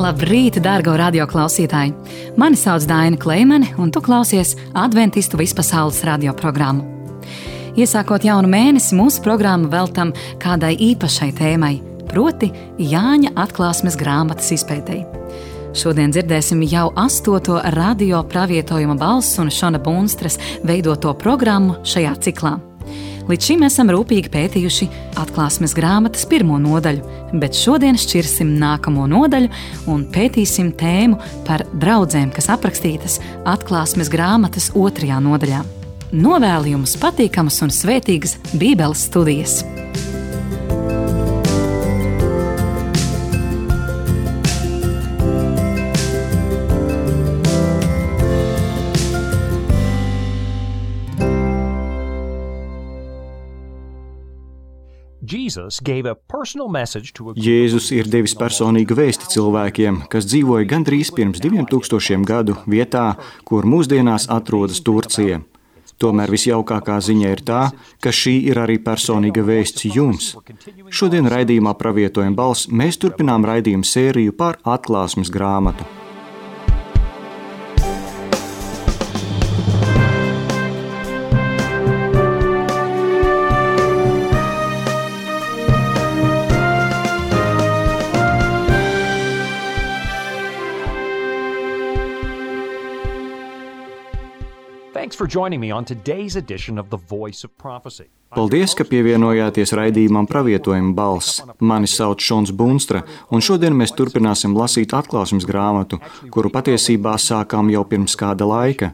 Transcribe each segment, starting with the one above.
Labrīt, dārgo radioklausītāji! Mani sauc Daina Kleimane, un tu klausies Adventistu vispasaules radioprogrammu. Iesākot jaunu mēnesi, mūsu programmu veltam kādai īpašai tēmai, proti Jāņa atklāsmes grāmatas izpētei. Šodien dzirdēsim jau 8. radio pravietojuma balss un Šona Bunstras veidoto programmu šajā ciklā. Līdz šim esam rūpīgi pētījuši atklāsmes grāmatas 1. nodaļu, bet šodien šķirsim nākamo nodaļu un pētīsim tēmu par draudzēm, kas aprakstītas atklāsmes grāmatas 2. nodaļā. Novēlu jums patīkamas un svētīgas Bībeles studijas! Jēzus ir devis personīgu vēsti cilvēkiem, kas dzīvoja gandrīz pirms 2000 gadu vietā, kur mūsdienās atrodas Turcija. Tomēr visjaukākā ziņa ir tā, ka šī ir arī personīga vēsts jums. Šodien raidījumā Pravietojuma balss mēs turpinām raidījumu sēriju par atklāsmes grāmatu. Paldies, ka pievienojāties raidījumam Pravietojuma balss. Mani sauc Šons Bunstra, un šodien mēs turpināsim lasīt atklāsmes grāmatu, kuru patiesībā sākām jau pirms kāda laika.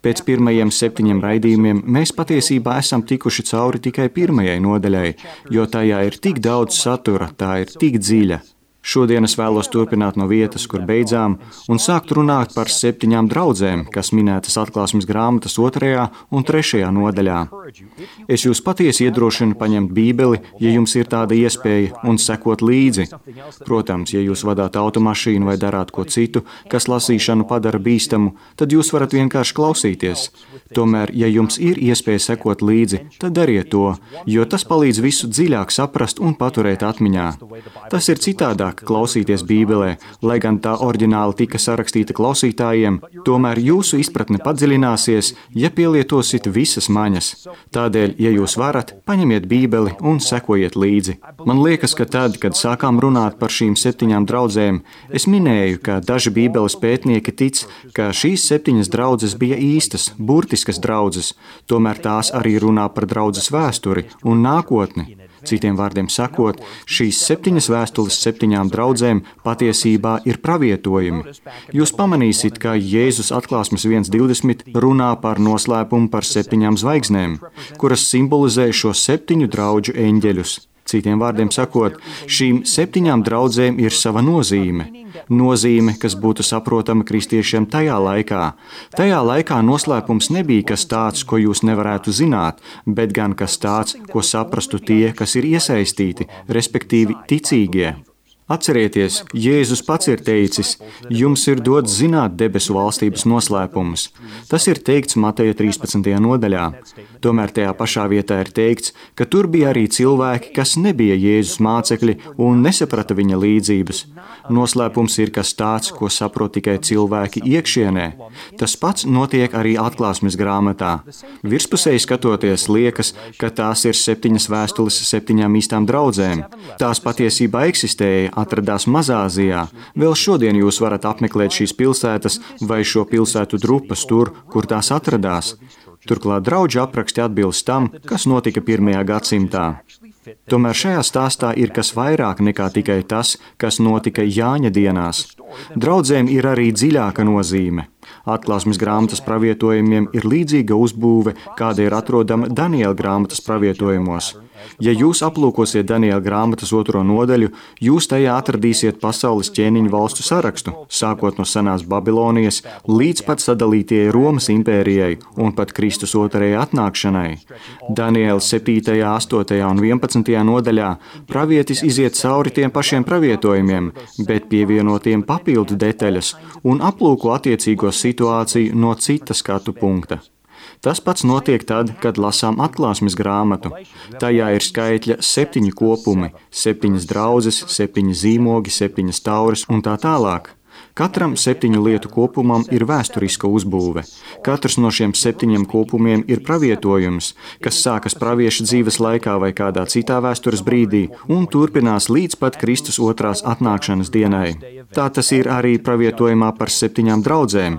Pēc pirmajiem 7 raidījumiem mēs patiesībā esam tikuši cauri tikai 1. nodaļai, jo tajā ir tik daudz satura, tā ir tik dziļa. Šodien es vēlos turpināt no vietas, kur beidzām, un sākt runāt par 7 draudzēm, kas minētas atklāsmes grāmatas 2. un 3. nodaļā. Es jūs patiesi iedrošinu paņemt Bībeli, ja jums ir tāda iespēja, un sekot līdzi. Protams, ja jūs vadāt automašīnu vai darāt ko citu, kas lasīšanu padara bīstamu, tad jūs varat vienkārši klausīties. Tomēr, ja jums ir iespēja sekot līdzi, tad dariet to, jo tas palīdz visu dziļāk saprast un paturēt atmiņā. Tas ir citādāk klausīties Bībelē, lai gan tā oriģināli tika sarakstīta klausītājiem, tomēr jūsu izpratne padziļināsies, ja pielietosit visas maņas. Tādēļ, ja jūs varat, paņemiet Bībeli un sekojiet līdzi. Man liekas, ka tad, kad sākām runāt par šīm 7 draudzēm, es minēju, ka daži Bībeles pētnieki tic, ka šīs 7 draudzes bija īstas, burtiskas draudzes, tomēr tās arī runā par draudzes vēsturi un nākotni. Citiem vārdiem sakot, šīs 7 vēstules 7 draudzēm patiesībā ir pravietojumi. Jūs pamanīsiet, ka Jēzus atklāsmes 1.20 runā par noslēpumu par 7 zvaigznēm, kuras simbolizē šo 7 draudžu eņģeļus. Citiem vārdiem sakot, šīm 7 draudzēm ir sava nozīme. Nozīme, kas būtu saprotama kristiešiem tajā laikā. Tajā laikā noslēpums nebija kas tāds, ko jūs nevarētu zināt, bet gan kas tāds, ko saprastu tie, kas ir iesaistīti, respektīvi ticīgie. Atcerieties, Jēzus pats ir teicis, jums ir dots zināt debesu valstības noslēpumus. Tas ir teikts Mateja 13. nodaļā. Tomēr tajā pašā vietā ir teikts, ka tur bija arī cilvēki, kas nebija Jēzus mācekļi un nesaprata viņa līdzības. Noslēpums ir kas tāds, ko saprot tikai cilvēki iekšienē. Tas pats notiek arī atklāsmes grāmatā. Virspusēji skatoties liekas, ka tās ir 7 vēstules 7 īstām draudzēm. Tās patiesībā eksistēja, atradās Mazāzijā. Vēl šodien jūs varat apmeklēt šīs pilsētas vai šo pilsētu drupas tur, kur tās atradās. Turklāt draudžu apraksti atbilst tam, kas notika 1. gadsimtā. Tomēr šajā stāstā ir kas vairāk nekā tikai tas, kas notika Jāņa dienās. Draudzēm ir arī dziļāka nozīme. Atklāsmes grāmatas pravietojumiem ir līdzīga uzbūve, kāda ir atrodama Daniela grāmatas pravietojumos. Ja jūs aplūkosiet Daniela grāmatas 2. nodaļu, jūs tajā atradīsiet pasaules ķēniņu valstu sarakstu, sākot no senās Babilonijas līdz pat sadalītajai Romas impērijai un pat Kristus 2. atnākšanai. Daniela 7., 8. un 11. nodaļā pravietis iziet cauri tiem pašiem pravietojumiem, bet pievienotiem papildu detaļas un aplūko attiecīgo situāciju no cita skatu punkta. Tas pats notiek tad, kad lasām atklāsmes grāmatu. Tajā ir skaitļa 7 kopumi, 7 draudzes, 7 zīmogi, 7 tauras un tā tālāk. Katram 7 lietu kopumam ir vēsturiska uzbūve. Katrs no šiem 7 kopumiem ir pravietojums, kas sākas pravieša dzīves laikā vai kādā citā vēstures brīdī un turpinās līdz pat Kristus otrās atnākšanas dienai. Tā tas ir arī pravietojumā par 7 draudzēm.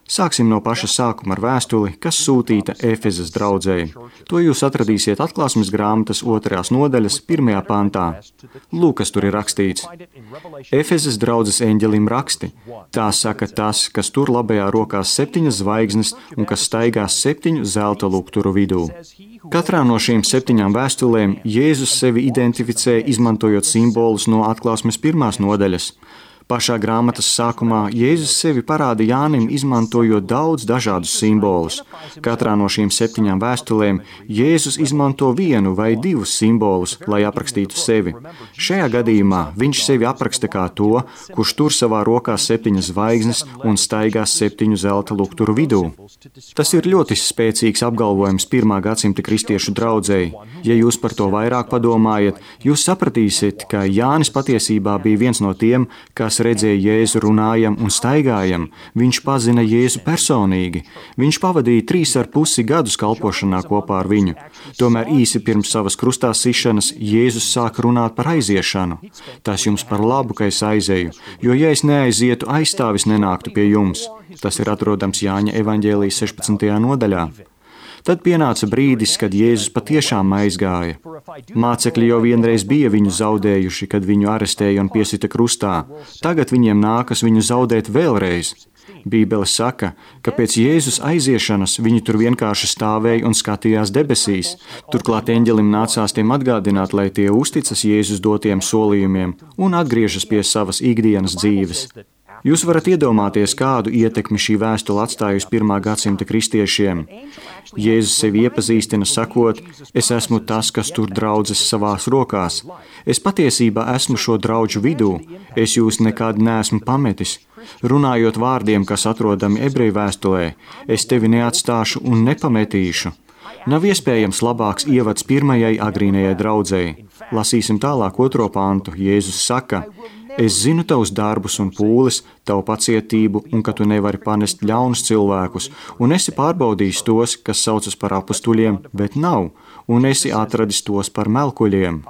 Sāksim no paša sākuma ar vēstuli, kas sūtīta Efezas draudzei. To jūs atradīsiet Atklāsmes grāmatas 2. nodaļas 1. pantā. Lūk, kas tur ir rakstīts. Efezas draudzes eņģelim raksti. Tā saka tas, kas tur labajā rokās 7 zvaigznes un kas staigās 7 zelta lukturu vidū. Katrā no šīm 7 vēstulēm Jēzus sevi identificē, izmantojot simbolus no Atklāsmes 1. nodaļas. Pašā grāmatas sākumā Jēzus sevi parāda Jānim, izmantojot daudz dažādus simbolus. Katrā no šīm 7 vēstulēm Jēzus izmanto 1 vai 2 simbolus, lai aprakstītu sevi. Šajā gadījumā viņš sevi apraksta kā to, kurš tur savā rokā 7 zvaigznes un staigās 7 zelta lukturu vidū. Tas ir ļoti spēcīgs apgalvojums 1. gadsimta kristiešu draudzei. Ja jūs par to vairāk padomājat, jūs sapratīsiet, ka Jānis patiesībā bija viens no tiem, kas redzēja Jēzu runājam un staigājam. Viņš pazina Jēzu personīgi. Viņš pavadīja 3,5 gadus kalpošanā kopā ar viņu. Tomēr īsi pirms savas krustā sišanas Jēzus sāka runāt par aiziešanu. Tas jums par labu, ka es aizēju, jo ja es neaizietu, aizstāvis nenāktu pie jums. Tas ir atrodams Jāņa evaņģēlijas 16. nodaļā. Tad pienāca brīdis, kad Jēzus patiešām aizgāja. Mācekļi jau vienreiz bija viņu zaudējuši, kad viņu arestēja un piesita krustā. Tagad viņiem nākas viņu zaudēt vēlreiz. Bībele saka, ka pēc Jēzus aiziešanas viņi tur vienkārši stāvēja un skatījās debesīs. Turklāt eņģelim nācās tiem atgādināt, lai tie uzticas Jēzus dotiem solījumiem un atgriežas pie savas ikdienas dzīves. Jūs varat iedomāties, kādu ietekmi šī vēstule atstāja uz 1. gadsimta kristiešiem. Jēzus sevi iepazīstina sakot, es esmu tas, kas tur draudzes savās rokās. Es patiesībā esmu šo draudžu vidū. Es jūs nekad neesmu pametis. Runājot vārdiem, kas atrodami ebreju vēstulē, es tevi neatstāšu un nepametīšu. Nav iespējams labāks ievads pirmajai agrīnajai draudzei. Lasīsim tālāk 2. pantu. Jēzus saka, es zinu tavus darbus un pūles, tavu pacietību un ka tu nevari panest ļaunus cilvēkus, un esi pārbaudījis tos, kas saucas par apustuļiem, bet nav, un esi atradis tos par melkuļiem.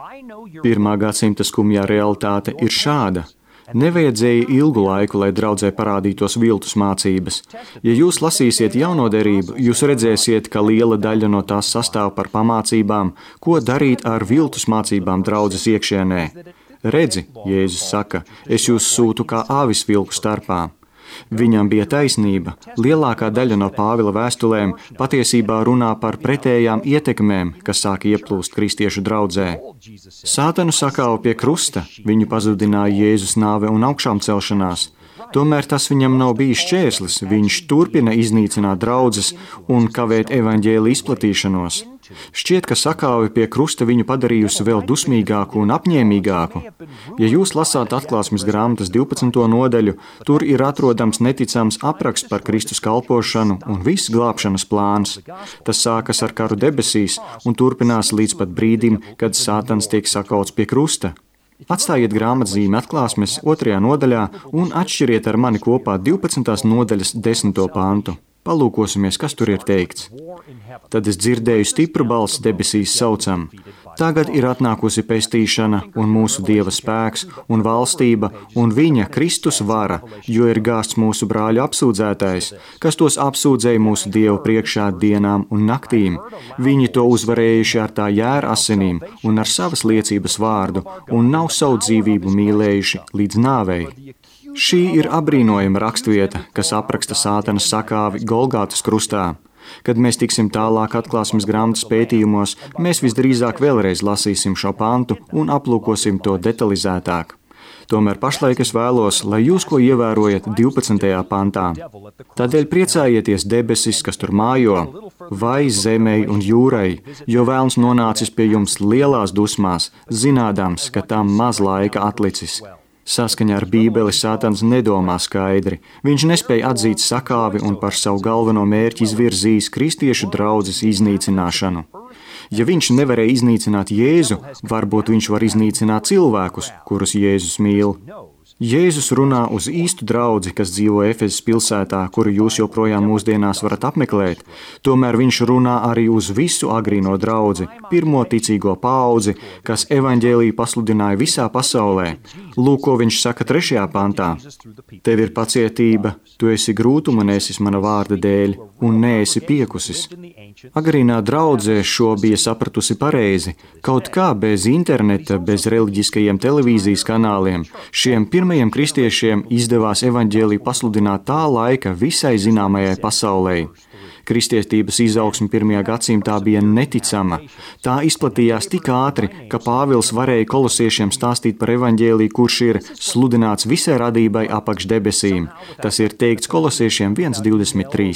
1. gadsimta skumjā realitāte ir šāda. Nevajadzēja ilgu laiku, lai draudzē parādītos viltus mācības. Ja jūs lasīsiet jauno derību, jūs redzēsiet, ka liela daļa no tās sastāv par pamācībām, ko darīt ar viltus mācībām draudzes iekšienē. Redzi, Jēzus saka, es jūs sūtu kā āvis vilku starpā. Viņam bija taisnība. Lielākā daļa no Pāvila vēstulēm patiesībā runā par pretējām ietekmēm, kas sāk ieplūst kristiešu draudzē. Sātanu sakāva pie krusta, viņu pazudināja Jēzus nāve un augšām celšanās. Tomēr tas viņam nav bijis šķērslis, viņš turpina iznīcināt draudzes un kavēt evaņģēlija izplatīšanos. Šķiet, ka sakāve pie krusta viņu padarījusi vēl dusmīgāku un apņēmīgāku. Ja jūs lasāt Atklāsmes grāmatas 12. nodaļu, tur ir atrodams neticams apraksts par Kristus kalpošanu un viss glābšanas plāns. Tas sākas ar karu debesīs un turpinās līdz pat brīdim, kad Sātans tiek sakauts pie krusta. Atstājiet grāmatzīmi Atklāsmes 2. nodaļā un atšķiriet ar mani kopā 12. nodaļas 10. pantu. Palūkosimies, kas tur ir teikts. Tad es dzirdēju stipru balsi debesīs saucam. Tagad ir atnākusi pestīšana un mūsu Dieva spēks un valstība un viņa Kristus vara, jo ir gāsts mūsu brāļu apsūdzētais, kas tos apsūdzēja mūsu Dievu priekšā dienām un naktīm. Viņi to uzvarējuši ar tā jēra asinīm un ar savas liecības vārdu un nav savu dzīvību mīlējuši līdz nāvei. Šī ir apbrīnojama rakstvieta, kas apraksta Sātana sakāvi Golgātas krustā. Kad mēs tiksim tālāk Atklāsmes grāmatas pētījumos, mēs visdrīzāk vēlreiz lasīsim šo pantu un aplūkosim to detalizētāk. Tomēr pašlaik es vēlos, lai jūs ko ievērojat 12. pantā. Tādēļ priecājieties debesis, kas tur mājo, vai zemei un jūrai, jo vēlns nonācis pie jums lielās dusmās, zinādams, ka tam maz laika atlicis. Saskaņā ar Bībeli Sātans nedomā skaidri. Viņš nespēja atzīt sakāvi un par savu galveno mērķi izvirzījis kristiešu draudzes iznīcināšanu. Ja viņš nevarēja iznīcināt Jēzu, varbūt viņš var iznīcināt cilvēkus, kurus Jēzus mīl. Jēzus runā uz īstu draudzi, kas dzīvo Efezes pilsētā, kuru jūs joprojām mūsdienās varat apmeklēt. Tomēr viņš runā arī uz visu agrīno draudzi, pirmo ticīgo paudzi, kas evaņģēliju pasludināja visā pasaulē. Lūk, ko viņš saka 3. pantā. Tev ir pacietība, tu esi grūtuma nesis mana vārda dēļ, un neesi piekusis. Agrīnā draudzē šo bija sapratusi pareizi. Kaut kā bez interneta, bez reliģiskajiem televīzijas kanāliem, šiem pirmajiem kristiešiem izdevās evaņģēliju pasludināt tā laika visai zināmajai pasaulē. Kristietības izaugsme 1. gadsimtā bija neticama. Tā izplatījās tik ātri, ka Pāvils varēja kolosiešiem stāstīt par evaņģēliju, kurš ir sludināts visai radībai apakš debesīm. Tas ir teikts kolosiešiem 1.23.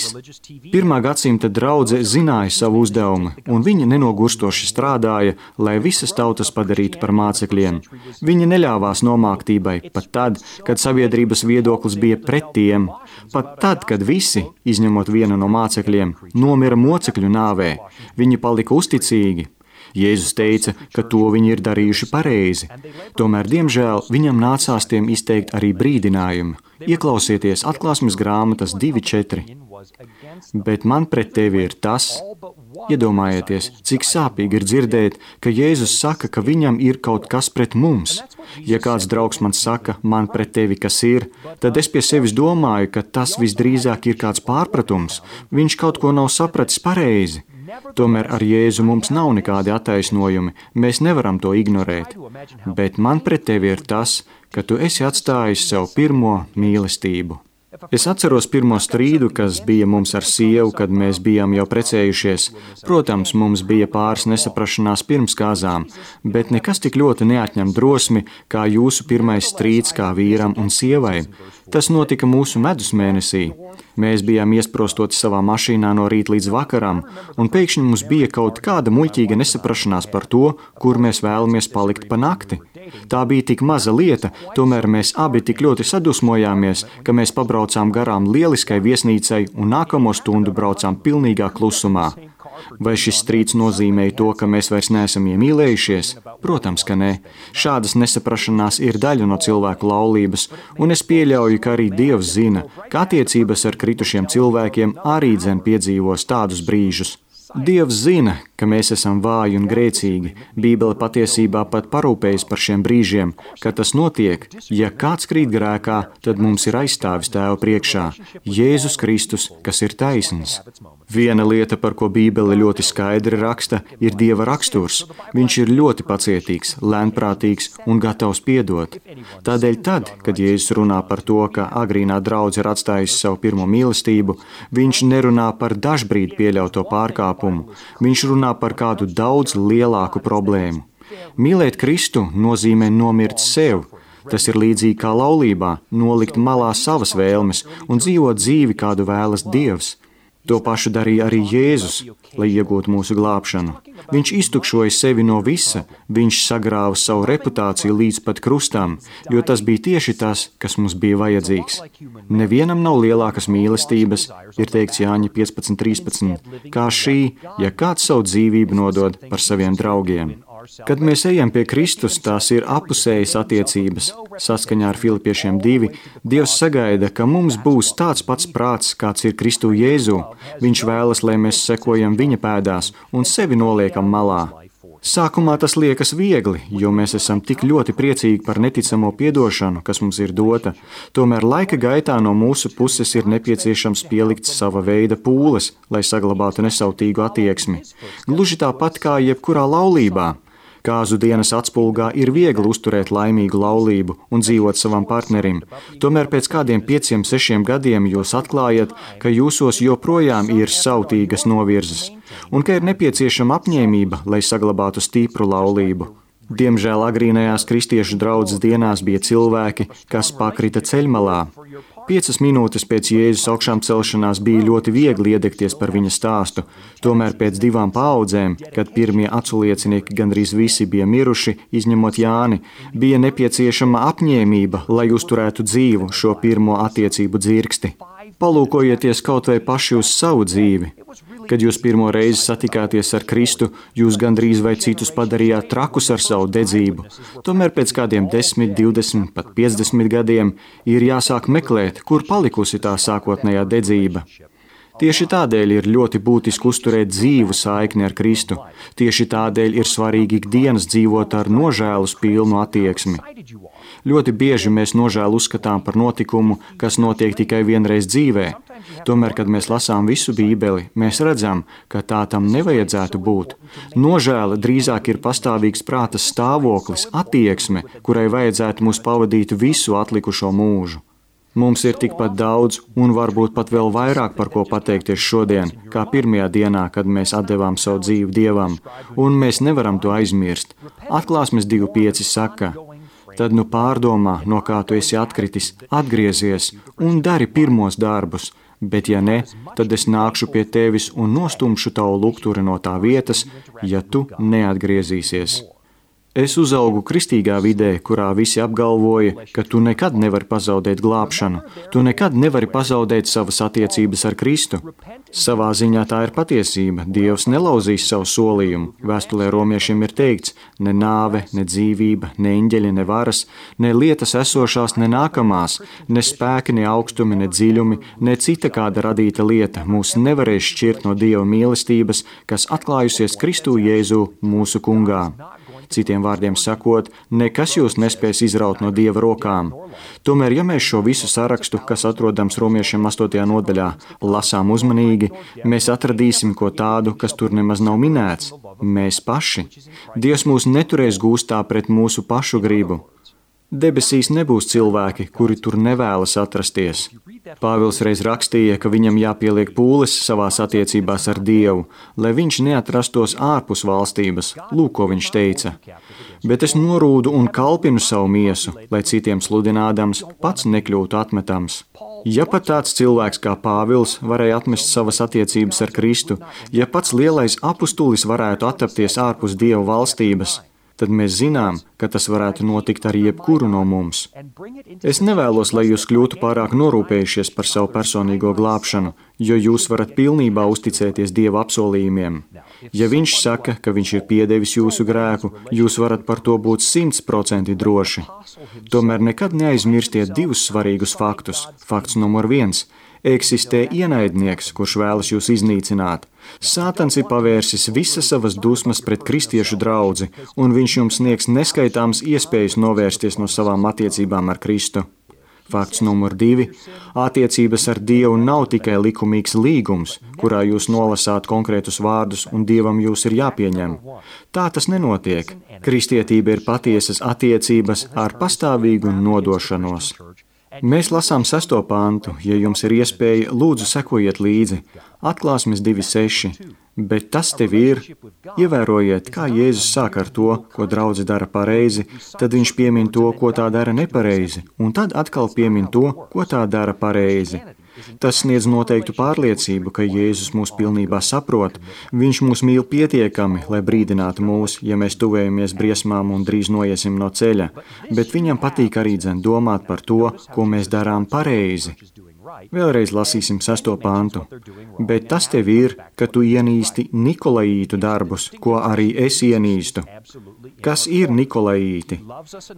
1. gadsimta draudze zināja savu uzdevumu, un viņi nenogurstoši strādāja, lai visas tautas padarītu par mācekļiem. Viņi neļāvās nomāktībai, pat tad, kad sabiedrības viedoklis bija pret tiem, pat tad, kad visi, izņemot vienu no mācekļiem, nomira mocekļu nāvē. Viņi palika uzticīgi. Jēzus teica, ka to viņi ir darījuši pareizi. Tomēr, diemžēl, viņam nācās tiem izteikt arī brīdinājumu. Ieklausieties Atklāsmes grāmatas 2.4. Bet man pret tevi ir tas. Iedomājieties, cik sāpīgi ir dzirdēt, ka Jēzus saka, ka viņam ir kaut kas pret mums. Ja kāds draugs man saka, man pret tevi kas ir, tad es pie sevis domāju, ka tas visdrīzāk ir kāds pārpratums. Viņš kaut ko nav sapratis pareizi. Tomēr ar Jēzu mums nav nekādi attaisnojumi, mēs nevaram to ignorēt. Bet man pret tevi ir tas, ka tu esi atstājis sev pirmo mīlestību. Es atceros pirmo strīdu, kas bija mums ar sievu, kad mēs bijām jau precējušies. Protams, mums bija pāris nesaprašanās pirms kāzām, bet nekas tik ļoti neatņem drosmi, kā jūsu pirmais strīds kā vīram un sievai. Tas notika mūsu medus mēnesī. Mēs bijām iesprostoti savā mašīnā no rīta līdz vakaram, un pēkšņi mums bija kaut kāda muļķīga nesaprašanās par to, kur mēs vēlamies palikt pa nakti. Tā bija tik maza lieta, tomēr mēs abi tik ļoti sadusmojāmies, ka mēs pabraucām garām lieliskai viesnīcai un nākamo stundu braucām pilnīgā klusumā. Vai šis strīds nozīmēja to, ka mēs vairs neesam iemīlējušies? Protams, ka nē. Šādas nesaprašanās ir daļa no cilvēku laulības, un es pieļauju, ka arī Dievs zina, ka attiecības ar kritušiem cilvēkiem arī dzen piedzīvos tādus brīžus. Dievs zina, ka mēs esam vāji un grēcīgi. Bībele patiesībā pat parūpējas par šiem brīžiem, kad tas notiek. Ja kāds krīt grēkā, tad mums ir aizstāvis Tēva priekšā – Jēzus Kristus, kas ir taisns. Viena lieta, par ko Bībele ļoti skaidri raksta, ir Dieva raksturs. Viņš ir ļoti pacietīgs, lēnprātīgs un gatavs piedot. Tādēļ tad, kad Jēzus runā par to, ka agrīnā draudze ir atstājusi savu pirmo mīlestību, viņš nerunā par dažbrīd pieļauto pārkāpumu. Viņš runā par kādu daudz lielāku problēmu. Mīlēt Kristu nozīmē nomirt sev. Tas ir līdzīgi kā laulībā, nolikt malā savas vēlmes un dzīvot dzīvi, kādu vēlas Dievs. To pašu darīja arī Jēzus, lai iegūtu mūsu glābšanu. Viņš iztukšoja sevi no visa, viņš sagrāva savu reputāciju līdz pat krustam, jo tas bija tieši tas, kas mums bija vajadzīgs. Nevienam nav lielākas mīlestības, ir teikts Jāņa 15.13, kā šī, ja kāds savu dzīvību nodod par saviem draugiem. Kad mēs ejam pie Kristus, tās ir apusējas attiecības. Saskaņā ar Filipiešiem 2, Dievs sagaida, ka mums būs tāds pats prāts, kāds ir Kristu Jēzu. Viņš vēlas, lai mēs sekojam viņa pēdās un sevi noliekam malā. Sākumā tas liekas viegli, jo mēs esam tik ļoti priecīgi par neticamo piedošanu, kas mums ir dota. Tomēr laika gaitā no mūsu puses ir nepieciešams pielikt sava veida pūles, lai saglabātu nesautīgu attieksmi. Gluži tāpat kā jebkurā laulībā. Kāzu dienas atspulgā ir viegli uzturēt laimīgu laulību un dzīvot savam partnerim. Tomēr pēc kādiem 5-6 gadiem jūs atklājat, ka jūsos joprojām ir sautīgas novirzes un ka ir nepieciešama apņēmība, lai saglabātu stipru laulību. Diemžēl agrīnajās kristiešu draudzes dienās bija cilvēki, kas pakrita ceļmalā. 5 minūtes pēc Jēzus augšām celšanās bija ļoti viegli iedegties par viņa stāstu. Tomēr pēc 2 paaudzēm, kad pirmie aculiecinieki gandrīz visi bija miruši, izņemot Jāni, bija nepieciešama apņēmība, lai uzturētu dzīvu šo pirmo attiecību dzirksti. Palūkojieties kaut vai paši uz savu dzīvi. Kad jūs pirmo reizi satikāties ar Kristu, jūs gandrīz vai citus padarījāt trakus ar savu dedzību. Tomēr pēc kādiem 10, 20, pat 50 gadiem ir jāsāk meklēt, kur palikusi tā sākotnējā dedzība. Tieši tādēļ ir ļoti būtiski uzturēt dzīvu saikni ar Kristu. Tieši tādēļ ir svarīgi ikdienas dzīvot ar nožēlus pilnu attieksmi. Ļoti bieži mēs nožēlu uzskatām par notikumu, kas notiek tikai vienreiz dzīvē. Tomēr, kad mēs lasām visu Bībeli, mēs redzam, ka tā tam nevajadzētu būt. Nožēla drīzāk ir pastāvīgs prāta stāvoklis, attieksme, kurai vajadzētu mūs pavadīt visu atlikušo mūžu. Mums ir tikpat daudz un varbūt pat vēl vairāk par ko pateikties šodien, kā pirmajā dienā, kad mēs atdevām savu dzīvi Dievam, un mēs nevaram to aizmirst. Atklāsmes 2.5 saka: tad nu pārdomā, no kā tu esi atkritis, atgriezies un dari pirmos darbus, bet ja ne, tad es nākšu pie tevis un nostumšu tavu lukturi no tā vietas, ja tu neatgriezīsies. Es uzaugu kristīgā vidē, kurā visi apgalvoja, ka tu nekad nevari pazaudēt glābšanu, tu nekad nevari pazaudēt savas attiecības ar Kristu. Savā ziņā tā ir patiesība. Dievs nelauzīs savu solījumu. Vēstulē romiešiem ir teikts: ne nāve, ne dzīvība, ne eņģeļi, ne varas, ne lietas esošās, ne nākamās, ne spēki, ne augstumi, ne dziļumi, ne cita kāda radīta lieta mūs nevarēs šķirt no Dieva mīlestības, kas atklājusies Kristū Jēzu mūsu kungā. Citiem vārdiem sakot, nekas jūs nespēs izraut no Dieva rokām. Tomēr, ja mēs šo visu sarakstu, kas atrodams Romiešiem 8. nodaļā, lasām uzmanīgi, mēs atradīsim ko tādu, kas tur nemaz nav minēts. Mēs paši. Dievs mūs neturēs gūstā pret mūsu pašu gribu. Debesīs nebūs cilvēki, kuri tur nevēlas atrasties. Pāvils reiz rakstīja, ka viņam jāpieliek pūles savās attiecībās ar Dievu, lai viņš neatrastos ārpus valstības. Lūk, ko viņš teica. Bet es norūdu un kalpinu savu miesu, lai citiem sludinādams pats nekļūtu atmetams. Ja pat tāds cilvēks kā Pāvils varēja atmest savas attiecības ar Kristu, ja pats lielais apustulis varētu attapties ārpus Dieva valstības, tad mēs zinām, ka tas varētu notikt ar jebkuru no mums. Es nevēlos, lai jūs kļūtu pārāk norūpējušies par savu personīgo glābšanu, jo jūs varat pilnībā uzticēties Dieva apsolījumiem. Ja viņš saka, ka viņš ir piedevis jūsu grēku, jūs varat par to būt 100% droši. Tomēr nekad neaizmirstiet divus svarīgus faktus. Fakts numur 1. Eksistē ienaidnieks, kurš vēlas jūs iznīcināt. Sātans ir pavērsis visas savas dusmas pret kristiešu draudzi, un viņš jums sniegs neskaitāmas iespējas novērsties no savām attiecībām ar Kristu. Fakts numur 2. Attiecības ar Dievu nav tikai likumīgs līgums, kurā jūs nolasāt konkrētus vārdus un Dievam jūs ir jāpieņem. Tā tas nenotiek. Kristietība ir patiesas attiecības ar pastāvīgu nodošanos. Mēs lasām 6. pantu, ja jums ir iespēja, lūdzu sekojiet līdzi. Atklāsmes 2.6. Bet tas tev ir, ievērojiet, kā Jēzus sāk ar to, ko draudze dara pareizi, tad viņš piemin to, ko tā dara nepareizi, un tad atkal piemin to, ko tā dara pareizi. Tas sniedz noteiktu pārliecību, ka Jēzus mūs pilnībā saprot. Viņš mūs mīl pietiekami, lai brīdinātu mūs, ja mēs tuvējamies briesmām un drīz noiesim no ceļa, bet viņam patīk arī domāt par to, ko mēs darām pareizi. Vēlreiz lasīsim 6. pantu. Bet tas tev ir, ka tu ienīsti Nikolaītu darbus, ko arī es ienīstu. Kas ir Nikolaīti?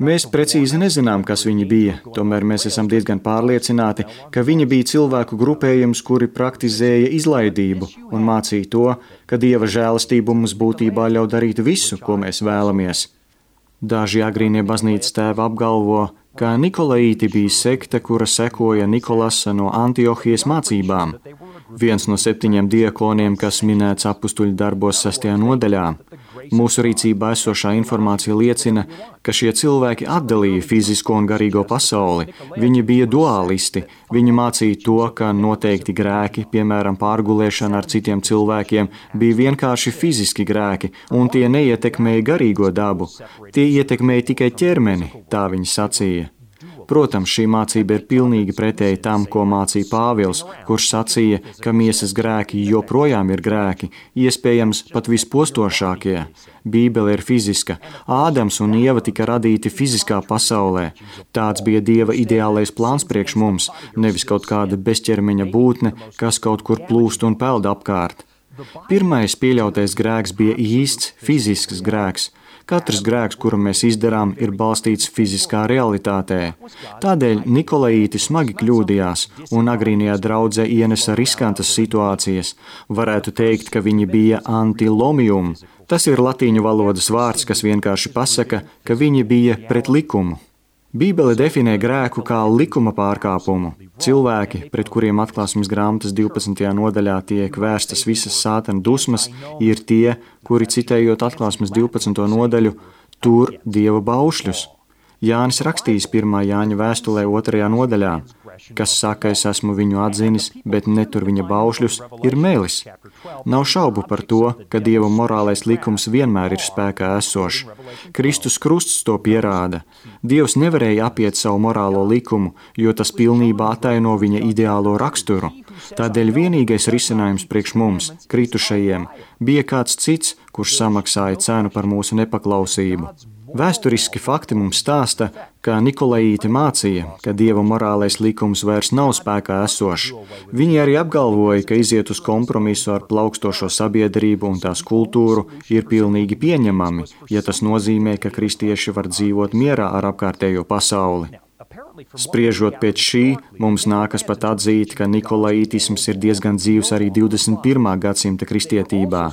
Mēs precīzi nezinām, kas viņi bija, tomēr mēs esam diezgan pārliecināti, ka viņi bija cilvēku grupējums, kuri praktizēja izlaidību un mācīja to, ka Dieva žēlastība mums būtībā ļauj darīt visu, ko mēs vēlamies. Daži agrīnie baznīcas tēvi apgalvo, ka Nikolaīti bija sekta, kura sekoja Nikolasa no Antiohijas mācībām. Viens no 7 diakoniem, kas minēts apustuļu darbos 6. nodaļā. Mūsu rīcībā esošā informācija liecina, ka šie cilvēki atdalīja fizisko un garīgo pasauli. Viņi bija duālisti. Viņi mācīja to, ka noteikti grēki, piemēram, pārgulēšana ar citiem cilvēkiem, bija vienkārši fiziski grēki, un tie neietekmēja garīgo dabu. Tie ietekmēja tikai ķermeni, tā viņi sacīja. Protams, šī mācība ir pilnīgi pretēji tam, ko mācīja Pāvils, kurš sacīja, ka miesas grēki joprojām ir grēki, iespējams pat vispostošākie. Bībele ir fiziska. Ādams un Ieva tika radīti fiziskā pasaulē. Tāds bija Dieva ideālais plāns priekš mums, nevis kaut kāda bezķermeņa būtne, kas kaut kur plūst un peld apkārt. Pirmais pieļautais grēks bija īsts fizisks grēks. Katrs grēks, kuru mēs izdarām, ir balstīts fiziskā realitātē. Tādēļ Nikolaīti smagi kļūdījās un agrīnajā draudzē ienesa riskantas situācijas. Varētu teikt, ka viņi bija antilomium. Tas ir latīņu valodas vārds, kas vienkārši pasaka, ka viņi bija pret likumu. Bībele definē grēku kā likuma pārkāpumu. Cilvēki, pret kuriem Atklāsmes grāmatas 12. nodaļā tiek vērstas visas sātana dusmas, ir tie, kuri, citējot Atklāsmes 12. nodaļu, tur Dieva baušļus. Jānis rakstījis 1. Jāņa vēstulē 2. nodaļā, kas saka, es esmu viņu atzinis, bet netur viņa baušļus, ir melis. Nav šaubu par to, ka Dieva morālais likums vienmēr ir spēkā esošs. Kristus krusts to pierāda. Dievs nevarēja apiet savu morālo likumu, jo tas pilnībā ataino viņa ideālo raksturu. Tādēļ vienīgais risinājums priekš mums, kritušajiem, bija kāds cits, kurš samaksāja cenu par mūsu nepaklausību. Vēsturiski fakti mums stāsta, ka Nikolaīti mācīja, ka Dieva morālais likums vairs nav spēkā esošs. Viņi arī apgalvoja, ka iziet uz kompromisu ar plaukstošo sabiedrību un tās kultūru ir pilnīgi pieņemami, ja tas nozīmē, ka kristieši var dzīvot mierā ar apkārtējo pasauli. Spriežot pēc šī, mums nākas pat atzīt, ka Nikolaītisms ir diezgan dzīvs arī 21. gadsimta kristietībā.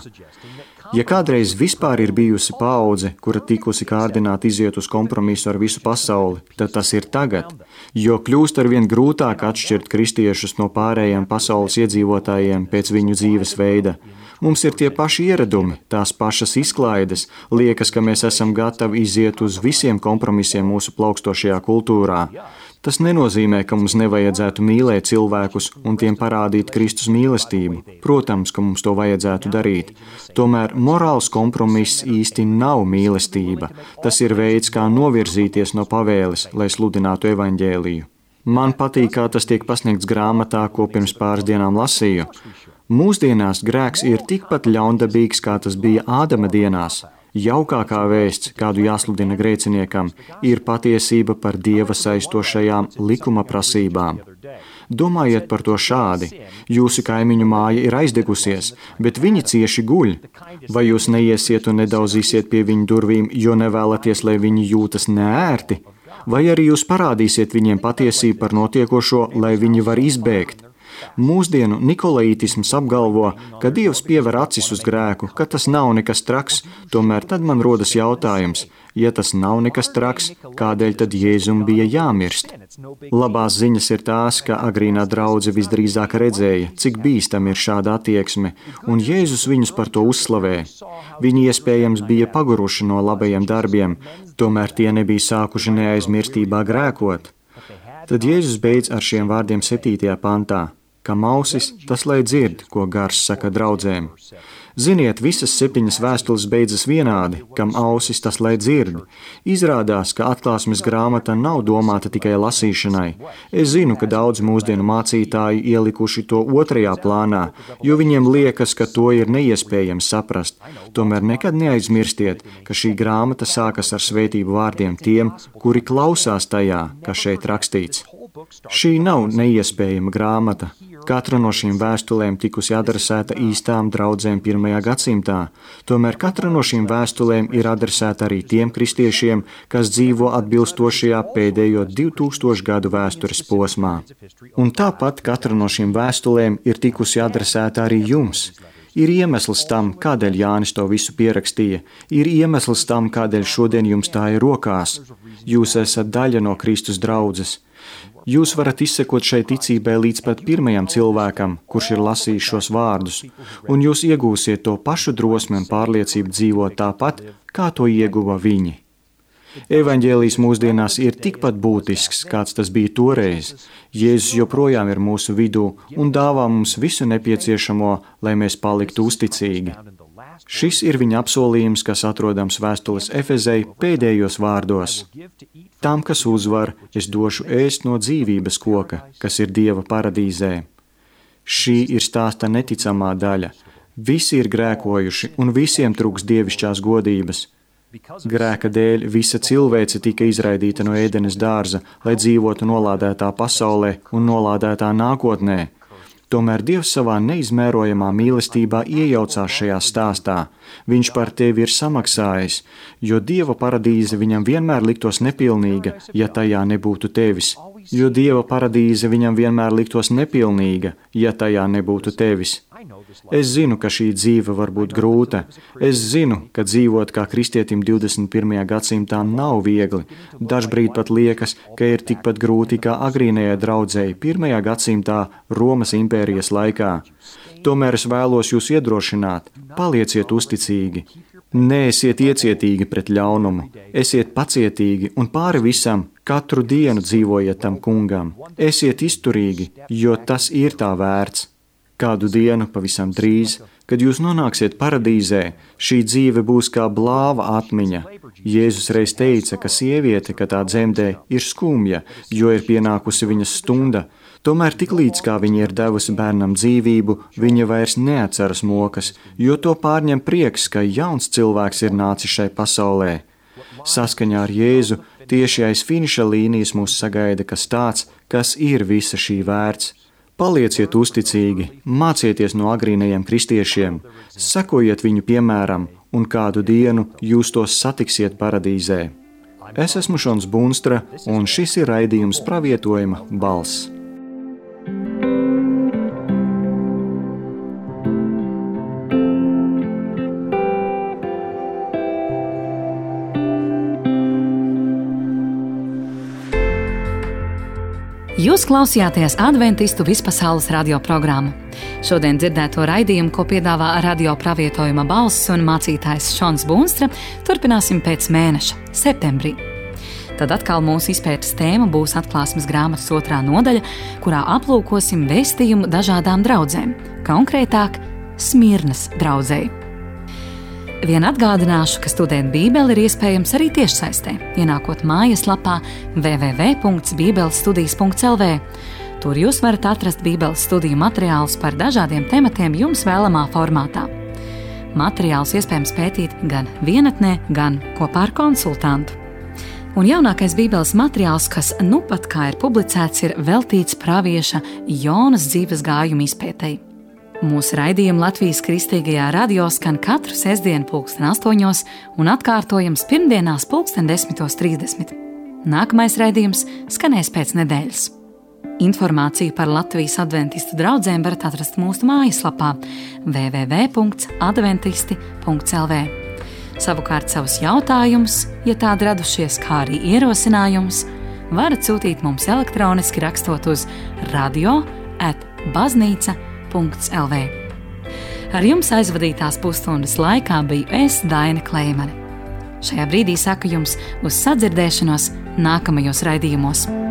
Ja kādreiz vispār ir bijusi paudze, kura tikusi kārdināta iziet uz kompromisu ar visu pasauli, tad tas ir tagad, jo kļūst arvien grūtāk atšķirt kristiešus no pārējiem pasaules iedzīvotājiem pēc viņu dzīves veida. Mums ir tie paši ieradumi, tās pašas izklaides, liekas, ka mēs esam gatavi iziet uz visiem kompromisiem mūsu plaukstošajā kultūrā. Tas nenozīmē, ka mums nevajadzētu mīlēt cilvēkus un tiem parādīt Kristus mīlestību. Protams, ka mums to vajadzētu darīt. Tomēr morāls kompromiss īsti nav mīlestība. Tas ir veids, kā novirzīties no pavēles, lai sludinātu evaņģēliju. Man patīk, kā tas tiek pasniegts grāmatā, ko pirms pāris dienām lasīju. Mūsdienās grēks ir tikpat ļaundabīgs, kā tas bija Ādama dienās. Jaukākā vēsts, kādu jāsludina grēciniekam, ir patiesība par Dieva saistošajām likuma prasībām. Domājiet par to šādi. Jūsu kaimiņu māja ir aizdegusies, bet viņi cieši guļ. Vai jūs neiesiet un nedauzīsiet pie viņu durvīm, jo nevēlaties, lai viņi jūtas neērti? Vai arī jūs parādīsiet viņiem patiesību par notiekošo, lai viņi var izbēgt? Mūsdienu Nikolaītisms apgalvo, ka Dievs piever acis uz grēku, ka tas nav nekas traks, tomēr tad man rodas jautājums, ja tas nav nekas traks, kādēļ tad Jēzum bija jāmirst? Labās ziņas ir tās, ka agrīnā draudze visdrīzāk redzēja, cik bīstam ir šāda attieksme, un Jēzus viņus par to uzslavē. Viņi iespējams bija paguruši no labajiem darbiem, tomēr tie nebija sākuši neaizmirstībā grēkot. Tad Jēzus beidz ar šiem vārdiem 7. pantā. Kam ausis, tas lai dzird, ko Gars saka draudzēm. Ziniet, visas 7 vēstules beidzas vienādi, kam ausis, tas lai dzird. Izrādās, ka Atklāsmes grāmata nav domāta tikai lasīšanai. Es zinu, ka daudz mūsdienu mācītāji ielikuši to 2. plānā, jo viņiem liekas, ka to ir neiespējams saprast. Tomēr nekad neaizmirstiet, ka šī grāmata sākas ar svētību vārdiem tiem, kuri klausās tajā, kas šeit rakstīts. Šī nav neiespējama grāmata. Katra no šīm vēstulēm tikusi adresēta īstām draudzēm 1. gadsimtā. Tomēr katra no šīm vēstulēm ir adresēta arī tiem kristiešiem, kas dzīvo atbilstošajā pēdējo 2000 gadu vēstures posmā. Un tāpat katra no šīm vēstulēm ir tikusi adresēta arī jums. Ir iemesls tam, kādēļ Jānis to visu pierakstīja. Ir iemesls tam, kādēļ šodien jums tā ir rokās. Jūs esat daļa no Kristus draudzes. Jūs varat izsekot šai ticībai līdz pat pirmajam cilvēkam, kurš ir lasījis šos vārdus, un jūs iegūsiet to pašu drosmi un pārliecību dzīvot tāpat, kā to ieguva viņi. Evaņģēlijs mūsdienās ir tikpat būtisks, kāds tas bija toreiz. Jēzus joprojām ir mūsu vidū un dāvā mums visu nepieciešamo, lai mēs paliktu uzticīgi. Šis ir viņa apsolījums, kas atrodams vēstules Efezei pēdējos vārdos. Tam, kas uzvar, es došu ēst no dzīvības koka, kas ir Dieva paradīzē. Šī ir stāsta neticamā daļa. Visi ir grēkojuši un visiem trūks dievišķās godības. Grēka dēļ visa cilvēce tika izraidīta no Ēdenes dārza, lai dzīvotu nolādētā pasaulē un nolādētā nākotnē. Tomēr Dievs savā neizmērojamā mīlestībā iejaucās šajā stāstā. Viņš par tevi ir samaksājis, jo Dieva paradīze viņam vienmēr liktos nepilnīga, ja tajā nebūtu tevis. Jo Dieva paradīze viņam vienmēr liktos nepilnīga, ja tajā nebūtu tevis. Es zinu, ka šī dzīve var būt grūta. Es zinu, ka dzīvot kā kristietim 21. gadsimtā nav viegli. Dažbrīd pat liekas, ka ir tikpat grūti kā agrīnajai draudzei 1. gadsimtā Romas impērijas laikā. Tomēr es vēlos jūs iedrošināt, palieciet uzticīgi. Neesiet iecietīgi pret ļaunumu, esiet pacietīgi un pāri visam katru dienu dzīvojiet tam kungam. Esiet izturīgi, jo tas ir tā vērts. Kādu dienu pavisam drīz, kad jūs nonāksiet paradīzē, šī dzīve būs kā blāva atmiņa. Jēzus reiz teica, ka sieviete, kad tā dzemdē, ir skumja, jo ir pienākusi viņas stunda. Tomēr tiklīdz kā viņa ir devusi bērnam dzīvību, viņa vairs neatceras mokas, jo to pārņem prieks, ka jauns cilvēks ir nācis šai pasaulē. Saskaņā ar Jēzu tieši aiz finiša līnijas mūs sagaida kas tāds, kas ir visa šī vērts. Palieciet uzticīgi, mācieties no agrīnajiem kristiešiem, sekojiet viņu piemēram, un kādu dienu jūs tos satiksiet paradīzē. Es esmu Šons Bunstra, un šis ir raidījums Pravietojuma balss. Jūs klausījāties Adventistu vispasaules radioprogrammu. Šodien dzirdēto raidījumu, ko piedāvā Radio Pravietojuma balss un mācītājs Šons Bunstra, turpināsim pēc mēneša, septembrī. Tad atkal mūsu izpētes tēma būs Atklāsmes grāmatas 2. nodaļa, kurā aplūkosim vēstījumu dažādām draudzēm, konkrētāk Smirnas draudzei. Vien atgādināšu, ka studēt Bībeli ir iespējams arī tiešsaistē, ienākot mājaslapā www.bībelestudijas.lv. Tur jūs varat atrast Bībeles studiju materiālus par dažādiem tematiem jums vēlamā formātā. Materiālus iespējams pētīt gan vienatnē, gan kopā ar konsultantu. Un jaunākais Bībeles materiāls, kas nu pat kā ir publicēts, ir veltīts pravieša Jonas dzīves gājuma izpētei. Mūsu raidījumi Latvijas Kristīgajā radio skan katru sestdienu 8:00 un atkārtojams pirmdienās 10:30. Nākamais raidījums skanēs pēc nedēļas. Informāciju par Latvijas adventistu draudzēm varat atrast mūsu mājaslapā www.adventisti.lv. Savukārt savus jautājumus, ja tādi radušies, kā arī ierosinājumus, varat sūtīt mums elektroniski rakstot uz radio@baznīca.lv. Ar jums aizvadītās pusstundas laikā biju es, Daina Kleimane. Šajā brīdī saku jums uz sadzirdēšanos nākamajos raidījumos.